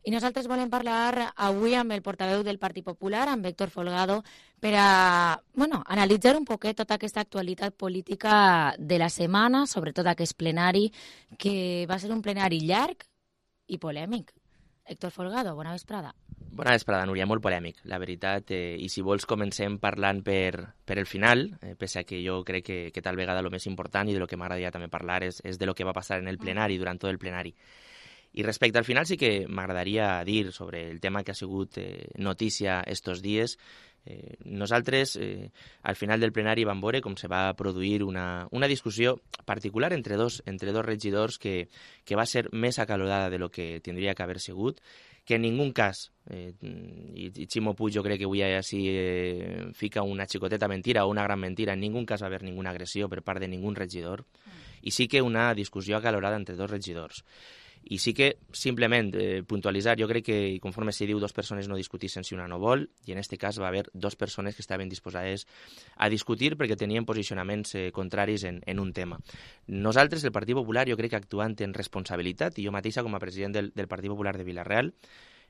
I nosaltres volem parlar avui amb el portaveu del Partit Popular, amb Héctor Folgado, per a analitzar un poquet tota aquesta actualitat política de la setmana, sobretot aquest plenari, que va ser un plenari llarg i polèmic. Héctor Folgado, bona vesprada. Bona vesprada, Núria, molt polèmic, la veritat. I si vols comencem parlant per el final, pese a que jo crec que tal vegada el més important i de lo que m'agradaria també parlar és de lo que va passar en el plenari, durant tot el plenari. I respecte al final sí que m'agradaria dir sobre el tema que ha sigut notícia estos dies. Nosaltres, al final del plenari, vam veure com se va produir una discussió particular entre dos regidors que va ser més acalorada de lo que tindria que haver sigut, que en ningú cas, i Ximo Puig jo crec que avui així fica una xicoteta mentira o una gran mentira, en ningú cas va haver ninguna agressió per part de ningú regidor, i sí que una discussió acalorada entre dos regidors. I sí que, simplement, puntualitzar, jo crec que, conforme s'hi diu, dues persones no discutixen si una no vol, i en aquest cas va haver dues persones que estaven disposades a discutir perquè tenien posicionaments contraris en un tema. Nosaltres, el Partit Popular, jo crec que actuant en responsabilitat, i jo mateixa com a president del Partit Popular de Vila-real,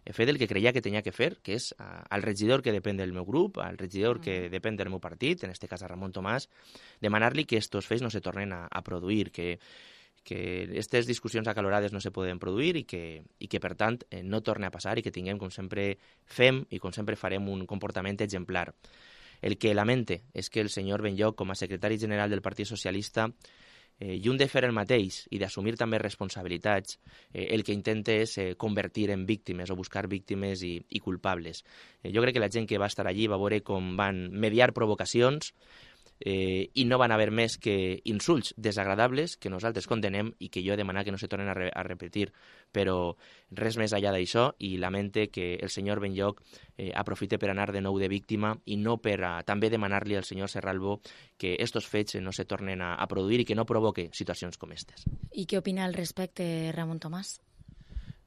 he fet el que creia que tenia que fer, que és al regidor que depèn del meu grup, al regidor que depèn del meu partit, en aquest cas a Ramon Tomàs, demanar-li que estos fets no se tornen a produir, que aquestes discussions acalorades no se poden produir i que per tant, no torni a passar i que tinguem, com sempre fem i com sempre farem, un comportament exemplar. El que lamente és que el senyor Benlloch, com a secretari general del Partit Socialista, lluny de fer el mateix i d'assumir també responsabilitats, el que intenta és convertir en víctimes o buscar víctimes i culpables. Jo crec que la gent que va estar allí va veure com van mediar provocacions i no van haver més que insults desagradables que nosaltres condenem i que jo he demanat que no se tornen a repetir, però res més allà d'això, i lamente que el senyor Benlloch aprofite per anar de nou de víctima i no per també demanar-li al senyor Serralbo que estos fets no se tornen a produir i que no provoque situacions com aquestes. I què opina al respecte Ramon Tomàs?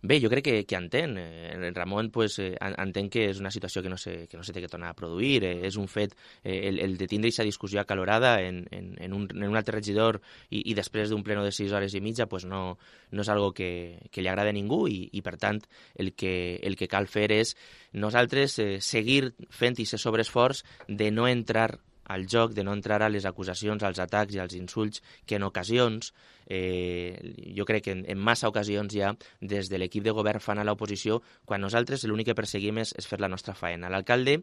Bé, jo crec que entén. El Ramon entén que és una situació que no se té que tornar a produir. És un fet, el de tindre aquesta discussió acalorada en un altre regidor i després d'un pleno de 6 hores i mitja no és algo que li agrada a ningú i per tant, el que cal fer és nosaltres seguir fent aquest sobreesforç de no entrar al joc, de no entrar a les acusacions, als atacs i als insults que en ocasions, jo crec que en massa ocasions ja, des de l'equip de govern fan a l'oposició, quan nosaltres l'únic que perseguim és fer la nostra faena. L'alcalde,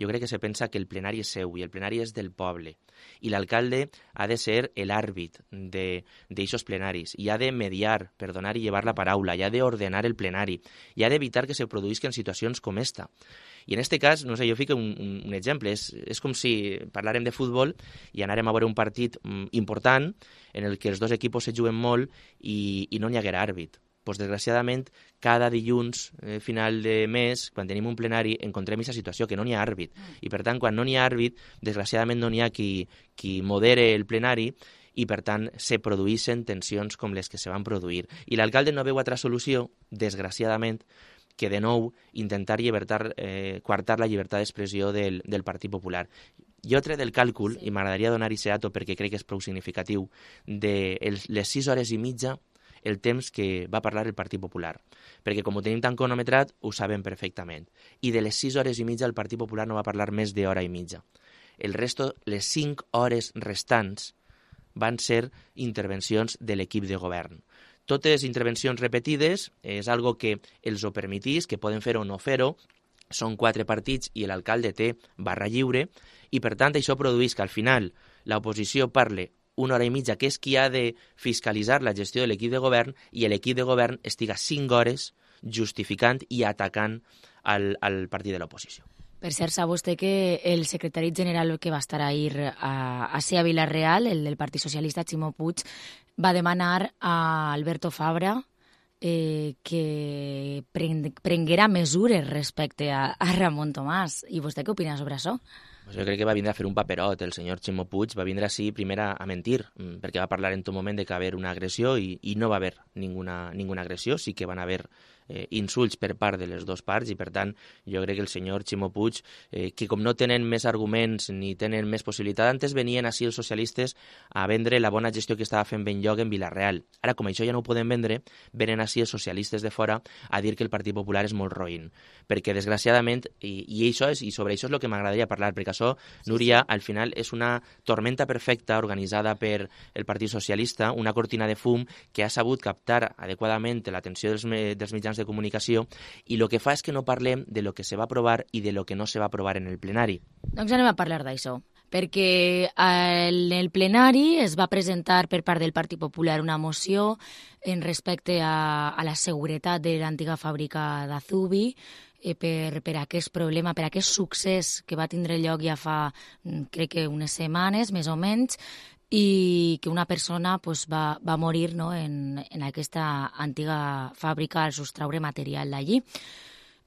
jo crec que se pensa que el plenari és seu i el plenari és del poble. I l'alcalde ha de ser l'àrbit d'aixos plenaris i ha de mediar, per donar i llevar la paraula, i ha d'ordenar el plenari, i ha d'evitar que se produïsquen situacions com esta. I en aquest cas, no sé, jo fico un exemple, és com si parlàrem de futbol i anàrem a veure un partit important en el que els dos equips se juguen molt i no n'hi haguera àrbit. Pues, desgraciadament, cada dilluns, final de mes, quan tenim un plenari, encontrem aquesta situació, que no n'hi ha àrbit. I, per tant, quan no n'hi ha àrbit, desgraciadament no n'hi ha qui modere el plenari i, per tant, se produeixen tensions com les que se van produir. I l'alcalde no veu altra solució, desgraciadament, que de nou intentar coartar la llibertat d'expressió del Partit Popular. Jo trec del càlcul, i m'agradaria donar aquest dato perquè crec que és prou significatiu, de les 6 hores i mitja el temps que va parlar el Partit Popular. Perquè com ho tenim tan cronometrat, ho sabem perfectament. I de les 6 hores i mitja el Partit Popular no va parlar més d'hora i mitja. El resto, les 5 hores restants, van ser intervencions de l'equip de govern. Totes intervencions repetides és algo que els ho permetís, que poden fer o no fer-ho, són 4 partits i l'alcalde té barra lliure, i per tant això produeix que al final l'oposició parle 1 hora i mitja, que és qui ha de fiscalitzar la gestió de l'equip de govern, i l'equip de govern estiga 5 hores justificant i atacant al partit de l'oposició. Per cert, sap vostè que el secretari general que va estar ahir a Vila-real, el del Partit Socialista, Ximo Puig, va demanar a Alberto Fabra que prenguera mesures respecte a Ramon Tomàs. I vostè què opina sobre això? Pues jo crec que va vindre a fer un paperot. El senyor Ximo Puig va vindre així primer a mentir, perquè va parlar en tot moment de que va haver una agressió i no va haver ninguna agressió. Sí que van haver insults per part de les dues parts i, per tant, jo crec que el senyor Ximo Puig, que com no tenen més arguments ni tenen més possibilitat, antes venien així els socialistes a vendre la bona gestió que estava fent Benlloc en Vila-real. Ara, com això ja no ho podem vendre, venen així els socialistes de fora a dir que el Partit Popular és molt roïn. Perquè, desgraciadament, i sobre això és el que m'agradaria parlar, perquè això, Núria, al final és una tormenta perfecta organitzada per el Partit Socialista, una cortina de fum que ha sabut captar adequadament l'atenció dels mitjans de comunicació i el que fa és que no parlem de lo que se va aprovar i de lo que no se va aprovar en el plenari. Doncs anem a parlar d'això, perquè en el plenari es va presentar per part del Partit Popular una moció en respecte a la seguretat de l'antiga fàbrica d'Azubi, per aquest problema, per aquest succés que va tindre lloc ja fa, crec que unes setmanes, més o menys, i que una persona va morir, no, en aquesta antiga fàbrica al sostraure material d'allí.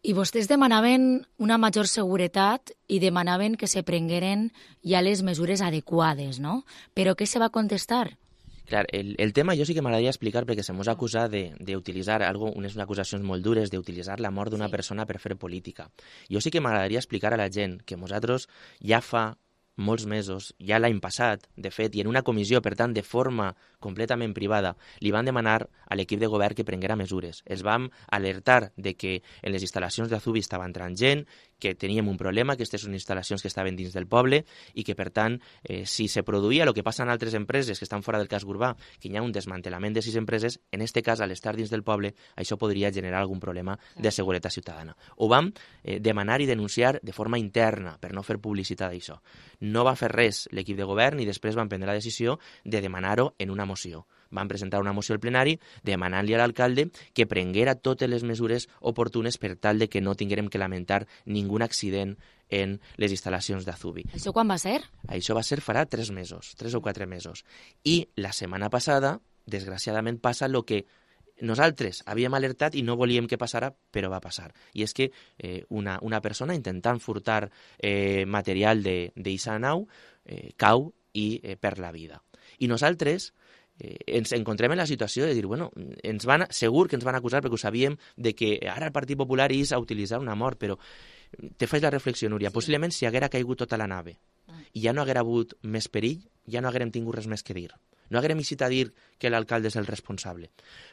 I vostès demanaven una major seguretat i demanaven que se prengueren ja les mesures adequades, no? Però què se va contestar? Clar, el tema jo sí que m'agradaria explicar perquè se mos ha acusat d'utilitzar unes acusacions molt dures, d'utilitzar la mort d'una persona per fer política. Jo sí que m'agradaria explicar a la gent que nosaltres ja fa molts mesos, ja l'any passat, de fet, i en una comissió, per tant, de forma completament privada, li van demanar a l'equip de govern que prenguera mesures. Els vam alertar de que en les instal·lacions d'Azubi estava entrant gent, que teníem un problema, aquestes són instal·lacions que estaven dins del poble i que, per tant, si se produïa el que passa en altres empreses que estan fora del casc urbà, que hi ha un desmantellament de 6 empreses, en aquest cas, a l'estar dins del poble, això podria generar algun problema de seguretat ciutadana. Ho vam demanar i denunciar de forma interna per no fer publicitat d'això. No va fer res l'equip de govern i després van prendre la decisió de demanar-ho en una moció. Van presentar una moció al plenari demanant-li a l'alcalde que prenguera totes les mesures oportunes per tal de que no tinguérem que lamentar ningú accident en les instal·lacions d'Azubi. Això quan va ser? Això va ser farà 3 mesos, 3 o 4 mesos. I la setmana passada, desgraciadament, passa el que nosaltres havíem alertat i no volíem que passara, però va passar. I és que una persona intentant furtar material d'eixa nau cau i perd la vida. I nosaltres ens encontrem en la situació de dir, bueno, segur que ens van acusar perquè ho sabíem de que ara el Partit Popular és a utilitzar una mort, però te faig la reflexió, Núria, possiblement si haguera caigut tota la nave i ja no haguera hagut més perill, ja no haguérem tingut res més que dir. No haguérem eixit a dir que l'alcalde és el responsable.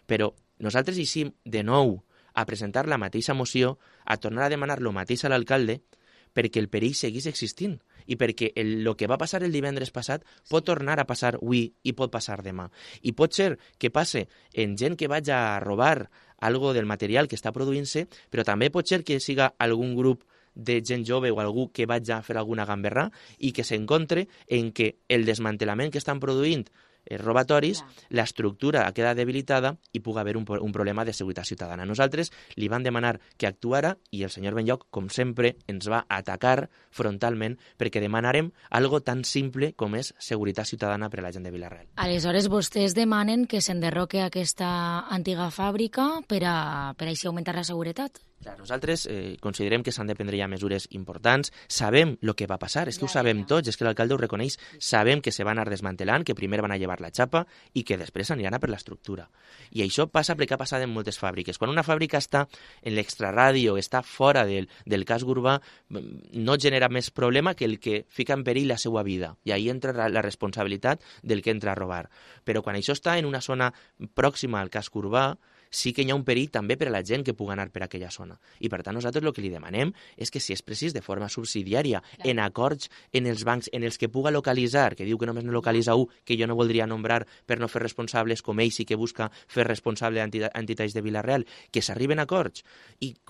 Però nosaltres eixim de nou a presentar la mateixa moció, a tornar a demanar el mateix a l'alcalde, perquè el perill seguís existint i perquè el que va passar el divendres passat pot tornar a passar avui i pot passar demà. I pot ser que passe en gent que vagi a robar algo del material que està produint-se, però també pot ser que siga algun grup de gent jove o algú que vagi a fer alguna gamberrà i que s'encontre en que el desmantellament que estan produint robatoris, l'estructura queda debilitada i pugui haver un problema de seguretat ciutadana. Nosaltres li vam demanar que actuara i el senyor Benlloc, com sempre, ens va atacar frontalment perquè demanarem algo tan simple com és seguretat ciutadana per a la gent de Vila-real. Aleshores, vostès demanen que s'enderroque aquesta antiga fàbrica per així augmentar la seguretat? Clar, nosaltres considerem que s'han de prendre ja mesures importants. Sabem el que va passar, és que ho sabem tots, és que l'alcalde ho reconeix. Sabem que se van anar desmantelant, que primer van a llevar la xapa i que després aniran a per l'estructura. I això passa perquè ha passat en moltes fàbriques. Quan una fàbrica està en l'extraradi o està fora del casc urbà, no genera més problema que el que fica en perill la seva vida. I ahí entra la responsabilitat del que entra a robar. Però quan això està en una zona pròxima al casc urbà, sí que hi ha un perill també per a la gent que pugui anar per aquella zona. I per tant nosaltres el que li demanem és que si és precís de forma subsidiària, en acords en els bancs en els que puga localitzar, que diu que només no localitza un, que jo no voldria nombrar per no fer responsables com ell sí que busca fer responsable entitats de Vila-real, que s'arriben a acords, inclús